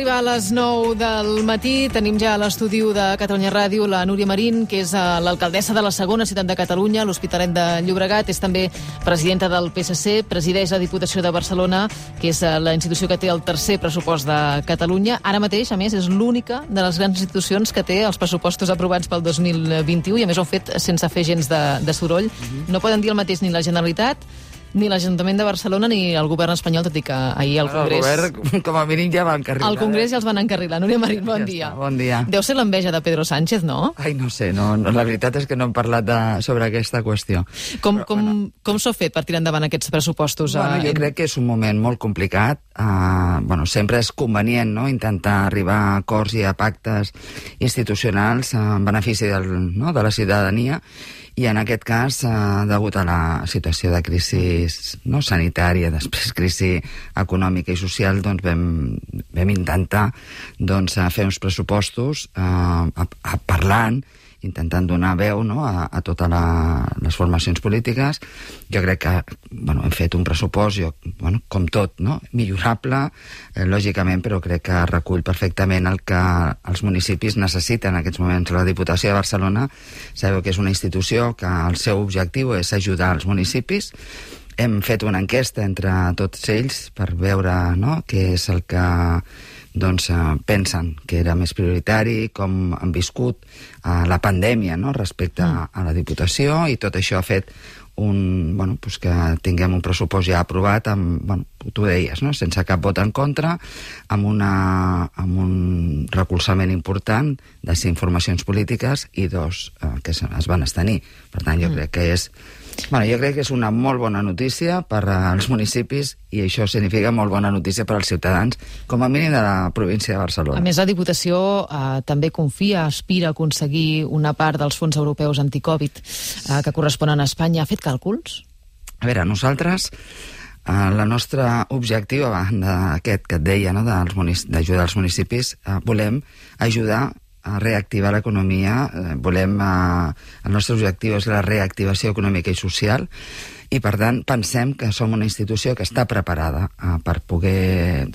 d'arribar a les 9 del matí. Tenim ja a l'estudi de Catalunya Ràdio la Núria Marín, que és l'alcaldessa de la segona ciutat de Catalunya, l'Hospitalet de Llobregat. És també presidenta del PSC, presideix la Diputació de Barcelona, que és la institució que té el tercer pressupost de Catalunya. Ara mateix, a més, és l'única de les grans institucions que té els pressupostos aprovats pel 2021 i, a més, ho ha fet sense fer gens de soroll. No poden dir el mateix ni la Generalitat, ni l'Ajuntament de Barcelona ni el govern espanyol, tot i que ahir al Congrés... El govern, com a mínim, ja va encarrilar. Al Congrés ja els van encarrilar. Núria Marín, bon dia. Bon dia. Deu ser l'enveja de Pedro Sánchez, no? Ai, no sé, la veritat és que no hem parlat sobre aquesta qüestió. Com s'ho ha fet per tirar endavant aquests pressupostos? Jo crec que és un moment molt complicat. Sempre és convenient, no?, intentar arribar a acords i a pactes institucionals en benefici de la ciutadania, i en aquest cas, degut a la situació de crisi sanitària, després crisi econòmica i social, doncs vam intentar fer uns pressupostos parlant, intentant donar veu a totes les formacions polítiques. Jo crec que hem fet un pressupost, com tot, millorable, lògicament, però crec que recull perfectament el que els municipis necessiten en aquests moments. La Diputació de Barcelona, sabeu que és una institució que el seu objectiu és ajudar els municipis. Hem fet una enquesta entre tots ells per veure què és el que pensen que era més prioritari, com han viscut la pandèmia respecte a la Diputació, i tot això ha fet que tinguem un pressupost ja aprovat tu deies, sense cap vot en contra, amb un recolzament important de 5 formacions polítiques i 2 que es van abstenir. Per tant, jo crec que és una molt bona notícia per als municipis, i això significa molt bona notícia per als ciutadans, com a mínim de la província de Barcelona. A més, la Diputació també aspira a aconseguir una part dels fons europeus anticovid que corresponen a Espanya. Ha fet càlculs? A veure, nosaltres, el nostre objectiu, a banda d'aquest que et deia, d'ajudar els municipis, volem ajudar a reactivar l'economia. El nostre objectiu és la reactivació econòmica i social, i per tant pensem que som una institució que està preparada per poder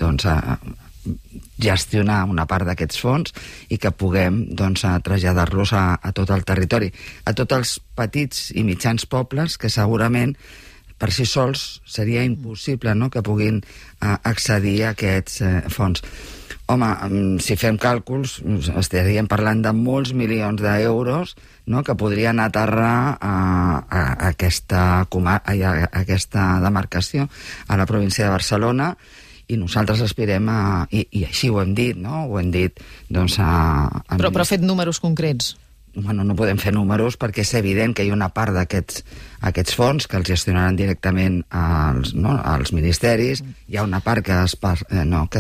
gestionar una part d'aquests fons i que puguem traslladar-los a tot el territori, a tots els petits i mitjans pobles que segurament per si sols seria impossible que puguin accedir a aquests fons. Home, si fem càlculs, estaríem parlant de molts milions d'euros que podrien aterrar a aquesta demarcació, a la província de Barcelona, i nosaltres aspirem i així ho hem dit, ho hem dit Però ha fet números concrets? No podem fer números perquè és evident que hi ha una part d'aquests fons que els gestionaran directament als ministeris, hi ha una part que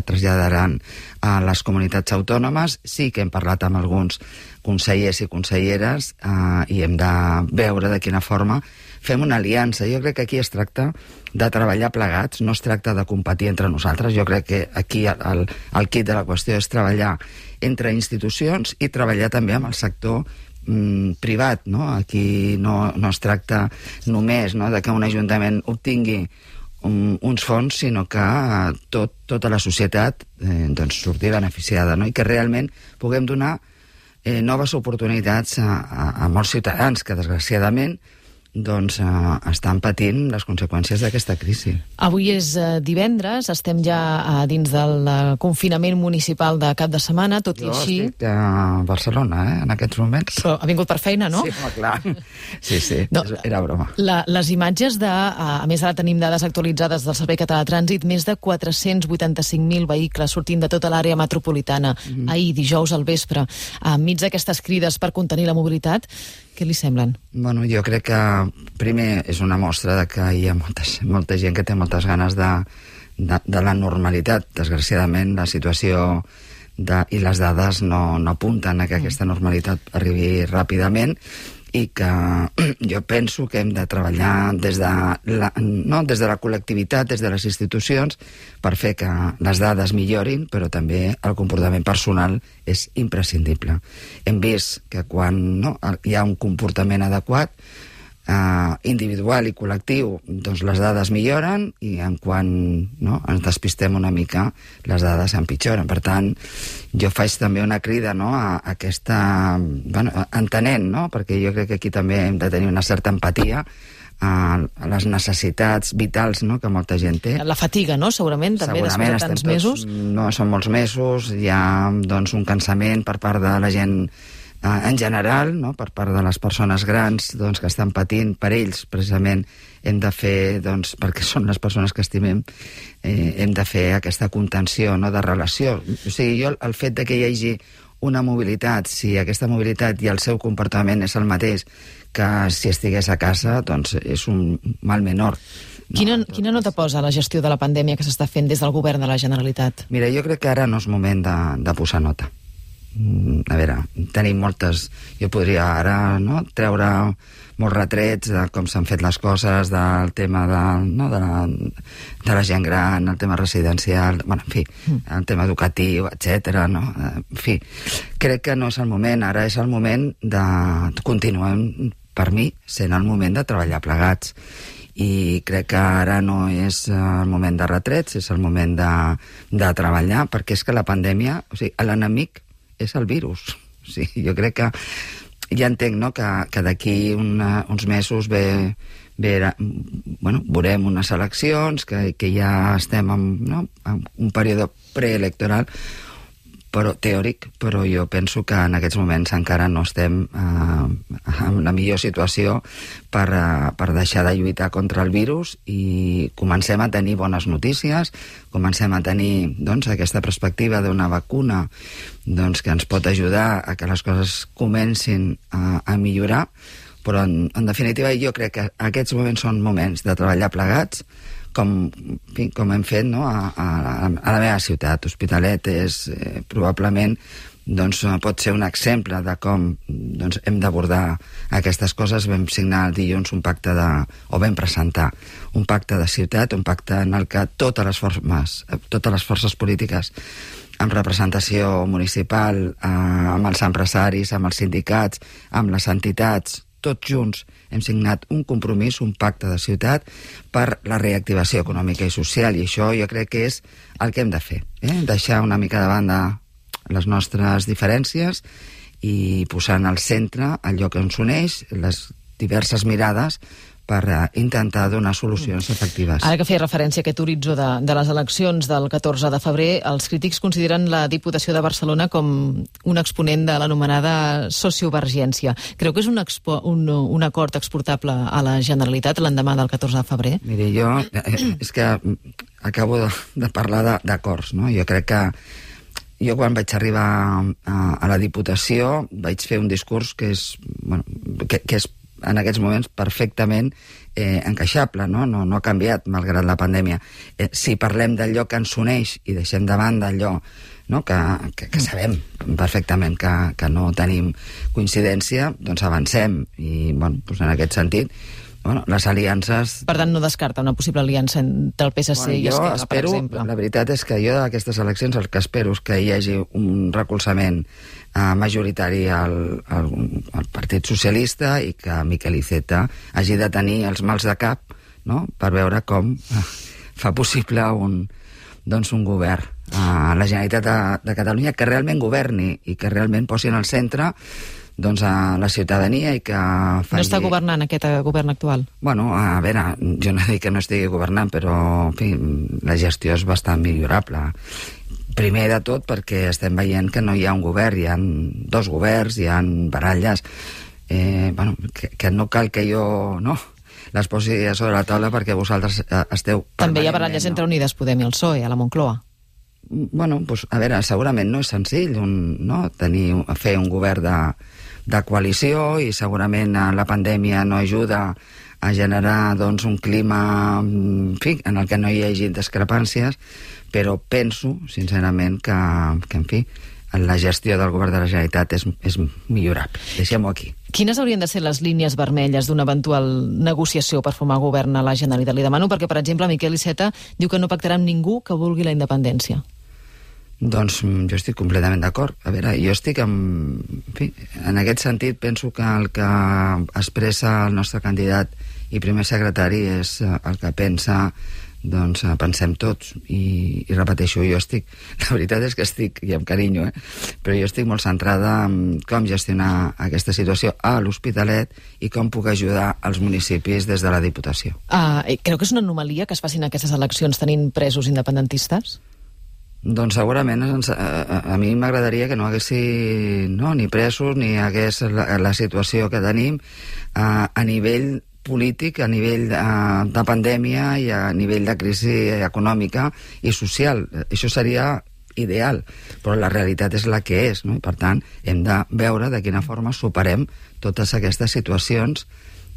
traslladaran a les comunitats autònomes. Sí que hem parlat amb alguns consellers i conselleres i hem de veure de quina forma fem una aliança. Jo crec que aquí es tracta de treballar plegats, no es tracta de competir entre nosaltres. Jo crec que aquí el quid de la qüestió és treballar entre institucions i treballar també amb el sector privat. Aquí no es tracta només de que un ajuntament obtingui uns fons, sinó que tota la societat surti beneficiada, i que realment puguem donar noves oportunitats a molts ciutadans que, desgraciadament, estan patint les conseqüències d'aquesta crisi. Avui és divendres, estem ja dins del confinament municipal de cap de setmana, tot i així... Jo estic a Barcelona, en aquests moments. Però ha vingut per feina, no? Sí, clar. Sí, era broma. Les imatges a més ara tenim dades actualitzades del Servei Català de Trànsit, més de 485.000 vehicles sortint de tota l'àrea metropolitana. Ahir, dijous al vespre, enmig d'aquestes crides per contenir la mobilitat, què li semblen? Jo crec que primer és una mostra de que hi ha molta gent que té moltes ganes de la normalitat. Desgraciadament, la situació i les dades no apunten a que aquesta normalitat arribi ràpidament, i que jo penso que hem de treballar des de la col·lectivitat, des de les institucions, per fer que les dades millorin, però també el comportament personal és imprescindible. Hem vist que quan hi ha un comportament adequat, individual i col·lectiu, doncs les dades milloren i en quan ens despistem una mica, les dades empitjoren. Per tant, jo faig també una crida a aquesta... entenent, perquè jo crec que aquí també hem de tenir una certa empatia a les necessitats vitals que molta gent té. La fatiga, segurament, també, després de tants mesos. No, són molts mesos, hi ha un cansament per part de la gent en general, per part de les persones grans que estan patint. Per ells, precisament, hem de fer, perquè són les persones que estimem, hem de fer aquesta contenció de relació. O sigui, jo, el fet de que hi hagi una mobilitat, si aquesta mobilitat i el seu comportament és el mateix que si estigués a casa, doncs és un mal menor. Quina nota posa la gestió de la pandèmia que s'està fent des del govern de la Generalitat? Mira, jo crec que ara no és moment de posar nota. A veure, tenim moltes... Jo podria ara treure molts retrets de com s'han fet les coses, del tema de la gent gran, el tema residencial, en fi, el tema educatiu, etc. En fi, crec que no és el moment. Ara és el moment de continuar, per mi, sent el moment de treballar plegats. I crec que ara no és el moment de retrets, és el moment de treballar, perquè és que la pandèmia, o sigui, l'enemic és el virus. O sigui, jo crec que ja entenc que d'aquí uns mesos veurem unes eleccions, que ja estem en un període preelectoral, però teòric, però jo penso que en aquests moments encara no estem en la millor situació per deixar de lluitar contra el virus i comencem a tenir bones notícies, comencem a tenir aquesta perspectiva d'una vacuna que ens pot ajudar a que les coses comencin a millorar, però en definitiva jo crec que aquests moments són moments de treballar plegats, com hem fet a la meva ciutat. Hospitalet és probablement pot ser un exemple de com hem d'abordar aquestes coses. Vam signar el dilluns vam presentar un pacte de ciutat, un pacte en el que totes les forces polítiques amb representació municipal, amb els empresaris, amb els sindicats, amb les entitats, tots junts hem signat un compromís, un pacte de ciutat per la reactivació econòmica i social, i això jo crec que és el que hem de fer, deixar una mica de banda les nostres diferències i posar en el centre allò que ens uneix, les diverses mirades, per intentar donar solucions efectives. Ara que feia referència a aquest horitzó de les eleccions del 14 de febrer, els crítics consideren la Diputació de Barcelona com un exponent de l'anomenada sociovergència. Creu que és un acord exportable a la Generalitat l'endemà del 14 de febrer? Miri, jo és que acabo de parlar d'acords, no? Jo crec que jo quan vaig arribar a la Diputació vaig fer un discurs que és en aquests moments perfectament encaixable, no ha canviat malgrat la pandèmia. Si parlem d'allò que ens uneix i deixem de banda allò que sabem perfectament que no tenim coincidència, doncs avancem. I en aquest sentit, les aliances... Per tant, no descarta una possible aliança entre el PSC i Esquerra, per exemple? La veritat és que jo d'aquestes eleccions el que espero és que hi hagi un recolzament majoritari al Partit Socialista i que Miquel Iceta hagi de tenir els mals de cap per veure com fa possible un govern a la Generalitat de Catalunya que realment governi i que realment posi en el centre a la ciutadania i que faci... No està governant aquest govern actual? A veure, jo no dic que no estigui governant, però en fi, la gestió és bastant millorable. Primer de tot perquè estem veient que no hi ha un govern, hi ha dos governs, hi ha baralles, que no cal que jo les posi sobre la taula perquè vosaltres esteu... També hi ha baralles entre Unides Podem i el PSOE, a la Moncloa. A veure, segurament no és senzill fer un govern de coalició i segurament la pandèmia no ajuda a generar un clima en el que no hi hagi discrepàncies, però penso, sincerament, que en fi, la gestió del govern de la Generalitat és millorable. Deixem-ho aquí. Quines haurien de ser les línies vermelles d'una eventual negociació per formar govern a la Generalitat? Li demano perquè, per exemple, Miquel Iceta diu que no pactarà amb ningú que vulgui la independència. Doncs jo estic completament d'acord. A veure, jo estic en aquest sentit penso que el que expressa el nostre candidat i primer secretari és el que pensa, doncs pensem tots, i repeteixo, jo estic, la veritat és que estic, i amb carinyo, però jo estic molt centrada en com gestionar aquesta situació a l'Hospitalet i com puc ajudar els municipis des de la Diputació. Creu que és una anomalia que es facin aquestes eleccions tenint presos independentistes? Doncs segurament a mi m'agradaria que no haguessi ni presos ni hagués la situació que tenim a nivell polític, a nivell de pandèmia i a nivell de crisi econòmica i social. Això seria ideal, però la realitat és la que és, no? I per tant hem de veure de quina forma superem totes aquestes situacions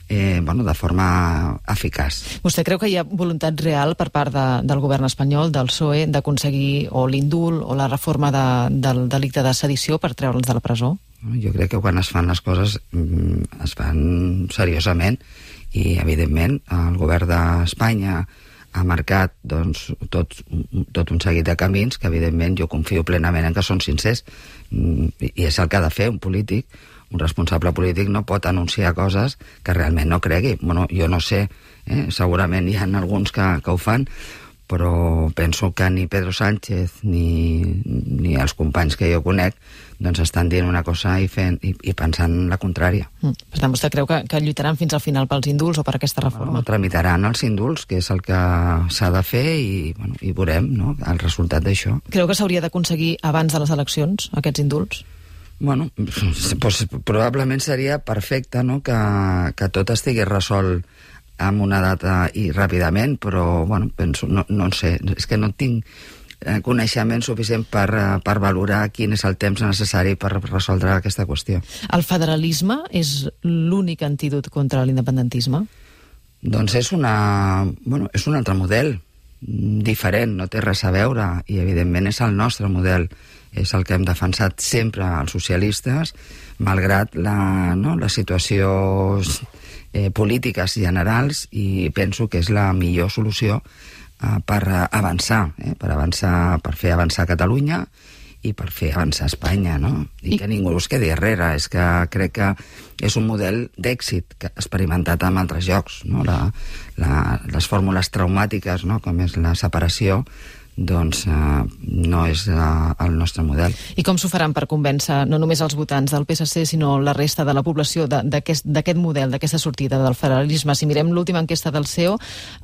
de forma eficaç. Vostè creu que hi ha voluntat real per part del govern espanyol, del PSOE, d'aconseguir o l'indult o la reforma del delicte de sedició per treure'ls de la presó? Jo crec que quan es fan les coses es fan seriosament i, evidentment, el govern d'Espanya ha marcat tot un seguit de camins que, evidentment, jo confio plenament en que són sincers, i és el que ha de fer un polític. Un responsable polític no pot anunciar coses que realment no cregui. Bueno, jo no sé, segurament hi ha alguns que ho fan, però penso que ni Pedro Sánchez ni els companys que jo conec doncs estan dient una cosa i pensant la contrària. Per tant, vostè creu que lluitaran fins al final pels indults o per aquesta reforma? Tramitaran els indults, que és el que s'ha de fer, i veurem el resultat d'això. Creu que s'hauria d'aconseguir abans de les eleccions, aquests indults? Bueno, probablement seria perfecte que tot estigui resolt amb una data i ràpidament, però penso, no sé, és que no tinc coneixement suficient per valorar quin és el temps necessari per resoldre aquesta qüestió. El federalisme és l'únic antídot contra l'independentisme? Doncs és un altre model, diferent, no té res a veure, i evidentment és el nostre model, és el que hem defensat sempre els socialistes, malgrat les situacions polítiques generals, i penso que és la millor solució per avançar, per fer avançar Catalunya i per fer avançar Espanya, no? I que ningú es quedi darrere. És que crec que és un model d'èxit experimentat en altres llocs, no? Les fórmules traumàtiques, no? Com és la separació, doncs no és el nostre model. I com s'ho faran per convèncer no només els votants del PSC, sinó la resta de la població d'aquest model, d'aquesta sortida del federalisme? Si mirem l'última enquesta del CEO,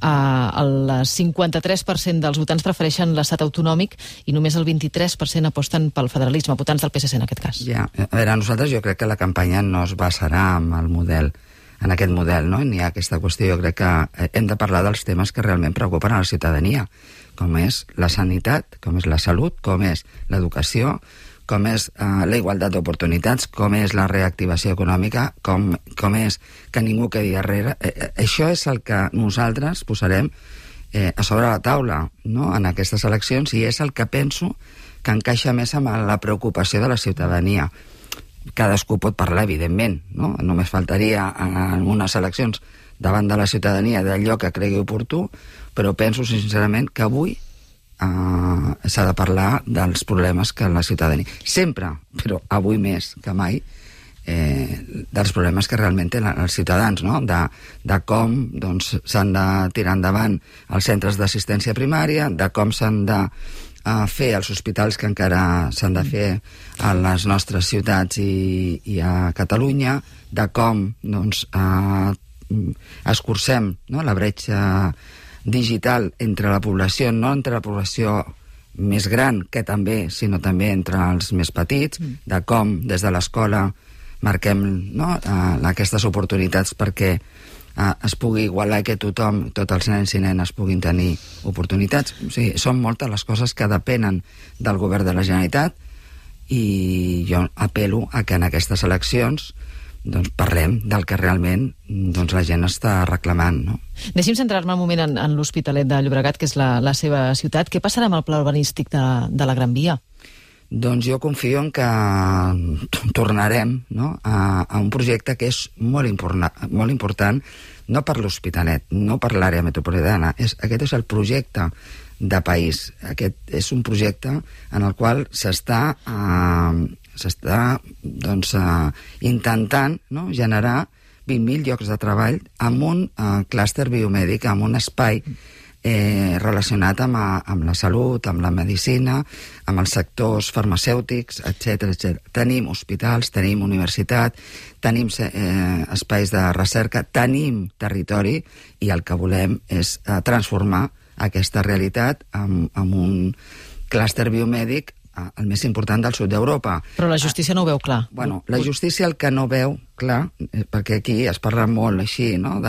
el 53% dels votants prefereixen l'estat autonòmic i només el 23% aposten pel federalisme, votants del PSC en aquest cas. Ja, a veure, nosaltres jo crec que la campanya no es basarà en aquest model, no? Ni ha aquesta qüestió. Jo crec que hem de parlar dels temes que realment preocupen a la ciutadania, com és la sanitat, com és la salut, com és l'educació, com és la igualtat d'oportunitats, com és la reactivació econòmica, com és que ningú quedi darrere. Això és el que nosaltres posarem a sobre la taula, no? En aquestes eleccions, i és el que penso que encaixa més amb la preocupació de la ciutadania. Cadascú pot parlar, evidentment, no? Només faltaria en unes eleccions davant de la ciutadania d'allò que cregui oportú, però penso sincerament que avui s'ha de parlar dels problemes que la ciutadania... Sempre, però avui més que mai, dels problemes que realment tenen els ciutadans, no? De com s'han de tirar endavant els centres d'assistència primària, de com s'han de fer els hospitals que encara s'han de fer a les nostres ciutats i a Catalunya, de com escurcem la bretxa digital entre la població, no entre la població més gran, que també, sinó també entre els més petits, de com des de l'escola marquem aquestes oportunitats perquè es pugui igualar, que tothom, tots els nens i nenes puguin tenir oportunitats. O sigui, són moltes les coses que depenen del govern de la Generalitat, i jo apel·lo a que en aquestes eleccions parlem del que realment la gent està reclamant, no? Deixi'm centrar-me un moment en l'Hospitalet de Llobregat, que és la seva ciutat. Què passarà amb el pla urbanístic de la Gran Via? Doncs jo confio en que tornarem a un projecte que és molt important, no per l'Hospitalet, no per l'àrea metropolitana. Aquest és el projecte de país. Aquest és un projecte en el qual s'està intentant, no?, generar 20.000 llocs de treball amb un clúster biomèdic, amb un espai relacionat amb la salut, amb la medicina, amb els sectors farmacèutics, etc. Tenim hospitals, tenim universitat, tenim espais de recerca, tenim territori, i el que volem és transformar aquesta realitat amb un clúster biomèdic el més important del sud d'Europa. Però la justícia no ho veu clar. Bueno, la justícia el que no veu clar, perquè aquí es parla molt així, no?,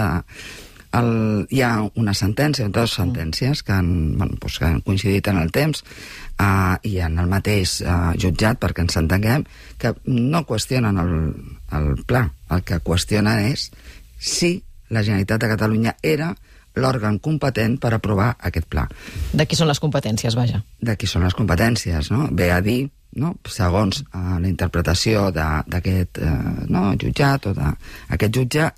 hi ha una sentència, dues sentències que han coincidit en el temps i en el mateix jutjat, perquè ens entenguem, que no qüestionen el pla. El que qüestionen és si la Generalitat de Catalunya era l'òrgan competent per aprovar aquest pla. De qui són les competències, vaja? De qui són les competències, no? Ve a dir, no?, segons la interpretació d'aquest jutjat o d'aquest jutge,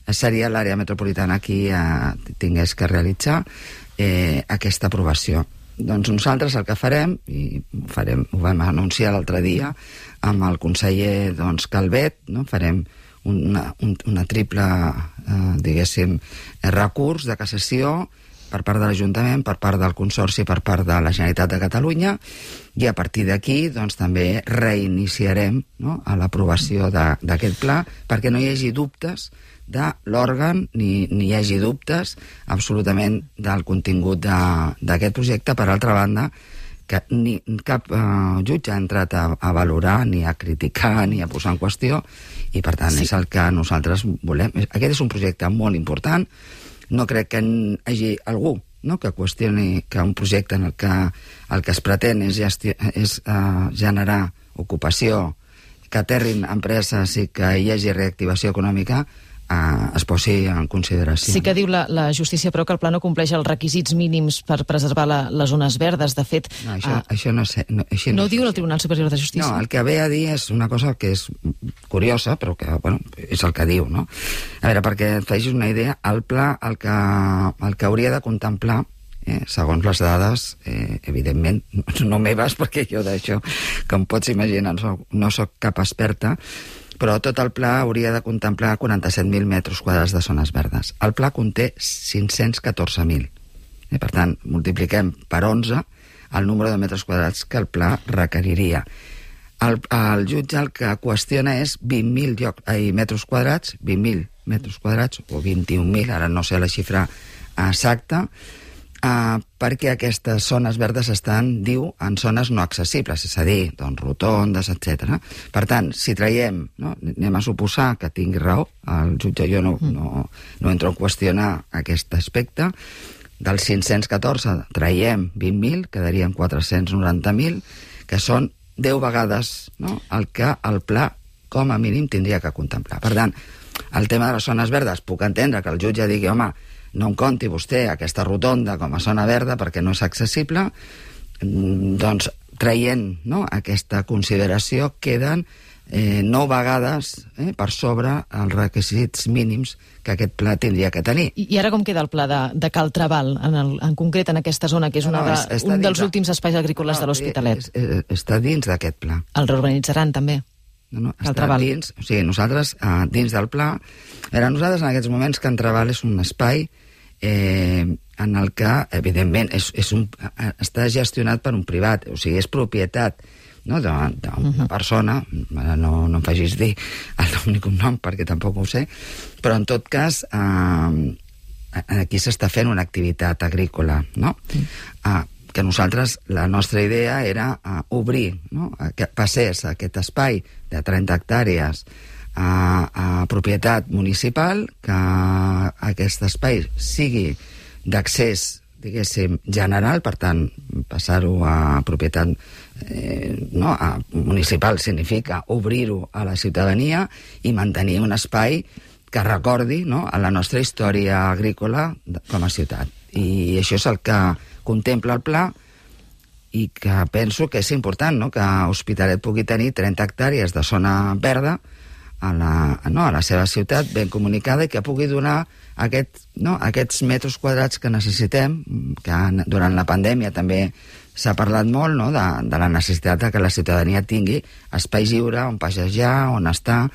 seria l'àrea metropolitana qui tingués que realitzar aquesta aprovació. Doncs nosaltres el que farem, i ho vam anunciar l'altre dia amb el conseller Calvet, no?, farem una triple, diguéssim, recurs de cassació per part de l'Ajuntament, per part del Consorci, per part de la Generalitat de Catalunya, i a partir d'aquí també reiniciarem, no?, a l'aprovació d'aquest pla, perquè no hi hagi dubtes de l'òrgan, ni hi hagi dubtes absolutament del contingut d'aquest projecte. Per altra banda, que cap jutge ha entrat a valorar, ni a criticar, ni a posar en qüestió, i per tant és el que nosaltres volem. Aquest és un projecte molt important. No crec que hi hagi algú, no?, que qüestioni que un projecte en el que es pretén és generar ocupació, que aterrin empreses i que hi hagi reactivació econòmica, es posi en consideració. Sí que diu la justícia, però, que el pla no compleix els requisits mínims per preservar les zones verdes. De fet... No, això no sé. No ho diu el Tribunal Superior de Justícia? No, el que ve a dir és una cosa que és curiosa, però que, bueno, és el que diu, no? A veure, perquè et facis una idea, el pla el que hauria de contemplar, segons les dades, evidentment, no meves, perquè jo d'això, com pots imaginar, no soc cap experta, però tot el pla hauria de contemplar 47.000 metres quadrats de zones verdes. El pla conté 514.000. Per tant, multipliquem per 11 el número de metres quadrats que el pla requeriria. El jutge el que qüestiona és 20.000 metres quadrats, 20.000 metres quadrats, o 21.000, ara no sé la xifra exacta, perquè aquestes zones verdes estan, diu, en zones no accessibles, és a dir, doncs, rotondes, etc. Per tant, si traiem, no, anem a suposar que tingui raó, el jutge, jo no entro a qüestionar aquest aspecte, dels 514 traiem 20.000, quedarien 490.000, que són 10 vegades, no?, el que el pla, com a mínim, tindria que contemplar. Per tant, el tema de les zones verdes, puc entendre que el jutge digui, home, no em compti vostè aquesta rotonda com a zona verda perquè no és accessible, doncs traient, no, aquesta consideració queden 9 vegades per sobre els requisits mínims que aquest pla tindria que tenir. I ara com queda el pla de Cal Trabal, en concret en aquesta zona, que és un dels últims espais agrícoles de l'Hospitalet? Està dins d'aquest pla. El reurbanitzarán també? No, està dins, o sigui, nosaltres dins del pla, nosaltres en aquests moments Can Trabal és un espai en el que, evidentment, està gestionat per un privat, o sigui, és propietat, no, d'una persona, no em facis dir el nom ni cognom perquè tampoc ho sé, però en tot cas aquí s'està fent una activitat agrícola, no? Que nosaltres, la nostra idea era obrir, no?, que passés aquest espai de 30 hectàrees a propietat municipal, que aquest espai sigui d'accés, diguéssim, general, per tant, passar-ho a propietat municipal significa obrir-ho a la ciutadania i mantenir un espai que recordi, no?, a la nostra història agrícola com a ciutat. I això és el que contempla el pla i que penso que és important, no?, que Hospitalet pugui tenir 30 hectàrees de zona verda a la seva ciutat ben comunicada i que pugui donar aquests metres quadrats que necessitem, que durant la pandèmia també s'ha parlat molt, no?, de la necessitat que la ciutadania tingui espai lliure on passejar, on estar,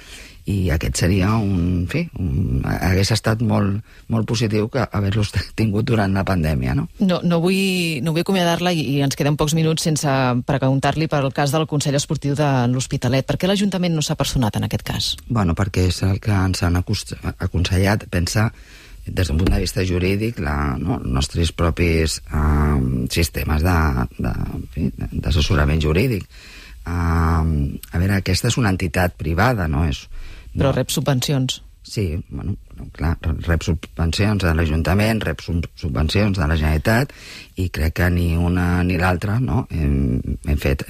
i aquest seria hagués estat molt positiu que haver-los tingut durant la pandèmia, no? No vull acomiadar-la i ens queden pocs minuts sense preguntar-li per el cas del Consell Esportiu de l'Hospitalet. Per què l'Ajuntament no s'ha personat en aquest cas? Bueno, perquè és el que ens han aconsellat. Pensa, des d'un punt de vista jurídic, els nostres propis sistemes d'assessorament jurídic. A veure, aquesta és una entitat privada, no és... Però rep subvencions. Sí, bueno, clar, rep subvencions de l'Ajuntament, rep subvencions de la Generalitat, i crec que ni una ni l'altra, no, hem fet.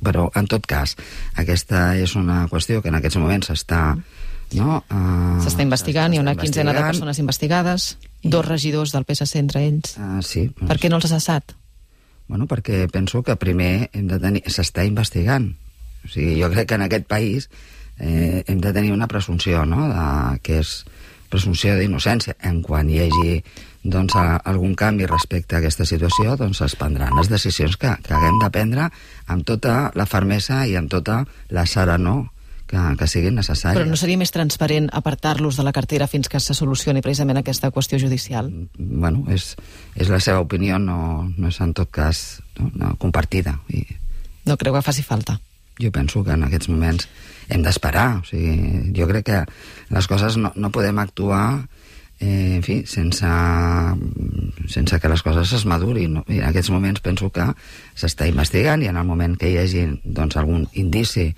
Però, en tot cas, aquesta és una qüestió que en aquests moments s'està... S'està investigant, hi ha una quinzena de persones investigades, 2 regidors del PSC entre ells. Sí. Per què no els ha cessat? Bueno, perquè penso que primer s'està investigant. O sigui, jo crec que en aquest país hem de tenir una presumpció, no?, que és presumpció d'innocència. En quan hi hagi algun canvi respecte a aquesta situació, es prendran les decisions que haguem de prendre amb tota la fermesa i amb tota la serenor que siguin necessàries. Però no seria més transparent apartar-los de la cartera fins que se solucioni precisament aquesta qüestió judicial? Bueno, és la seva opinió, no és en tot cas compartida. No creu que faci falta? Jo penso que en aquests moments hem d'esperar. O sigui, jo crec que les coses no podem actuar sense que les coses es madurin. I en aquests moments penso que s'està investigant, i en el moment que hi hagi algun indici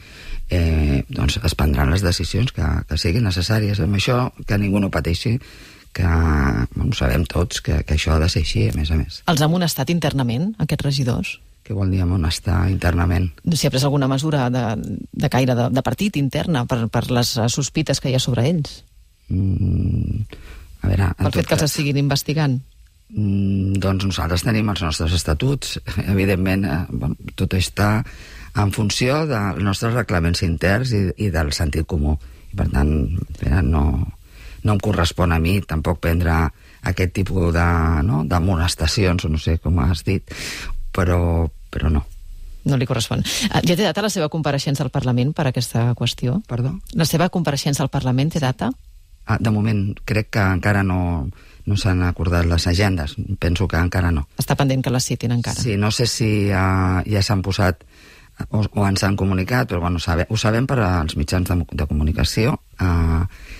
es prendran les decisions que siguin necessàries. Amb això, que ningú no pateixi, que sabem tots que això ha de ser així, a més a més. Els ha amonestat internament, aquests regidors? Què vol dir amonestar internament? Si ha pres alguna mesura de caire de partit interna per les sospites que hi ha sobre ells? A veure, pel fet que els estiguin investigant? Doncs nosaltres tenim els nostres estatuts. Evidentment, tot està en funció dels nostres reglaments interns i del sentit comú. I, per tant, no em correspon a mi tampoc prendre aquest tipus d'amonestacions, o no sé com has dit, però no. No li correspon. Ja té data la seva compareixença al Parlament per aquesta qüestió? Perdó? La seva compareixença al Parlament té data? De moment, crec que encara no s'han acordat les agendes. Penso que encara no. Està pendent que les citin encara? Sí, no sé si ja s'han posat o ens han comunicat, però bueno, ho sabem per als mitjans de comunicació,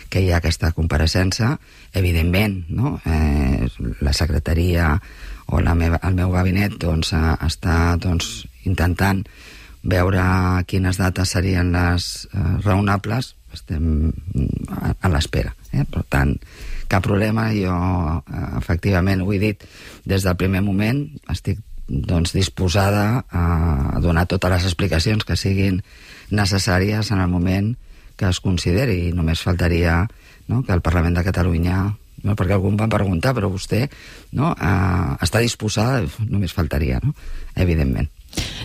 que hi ha aquesta compareixença. Evidentment, no? La secretaria o el meu gabinet està intentant veure quines dates serien les raonables. Estem a l'espera. Per tant, cap problema. Jo, efectivament, ho he dit des del primer moment, estic disposada a donar totes les explicacions que siguin necessàries en el moment que es consideri. I només faltaria que el Parlament de Catalunya, perquè algú em va preguntar, però vostè està disposada, només faltaria, evidentment.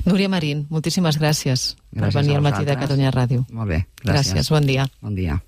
Núria Marín, moltíssimes gràcies per venir al Matí de Catalunya Ràdio. Molt bé, gràcies. Gràcies, bon dia. Bon dia.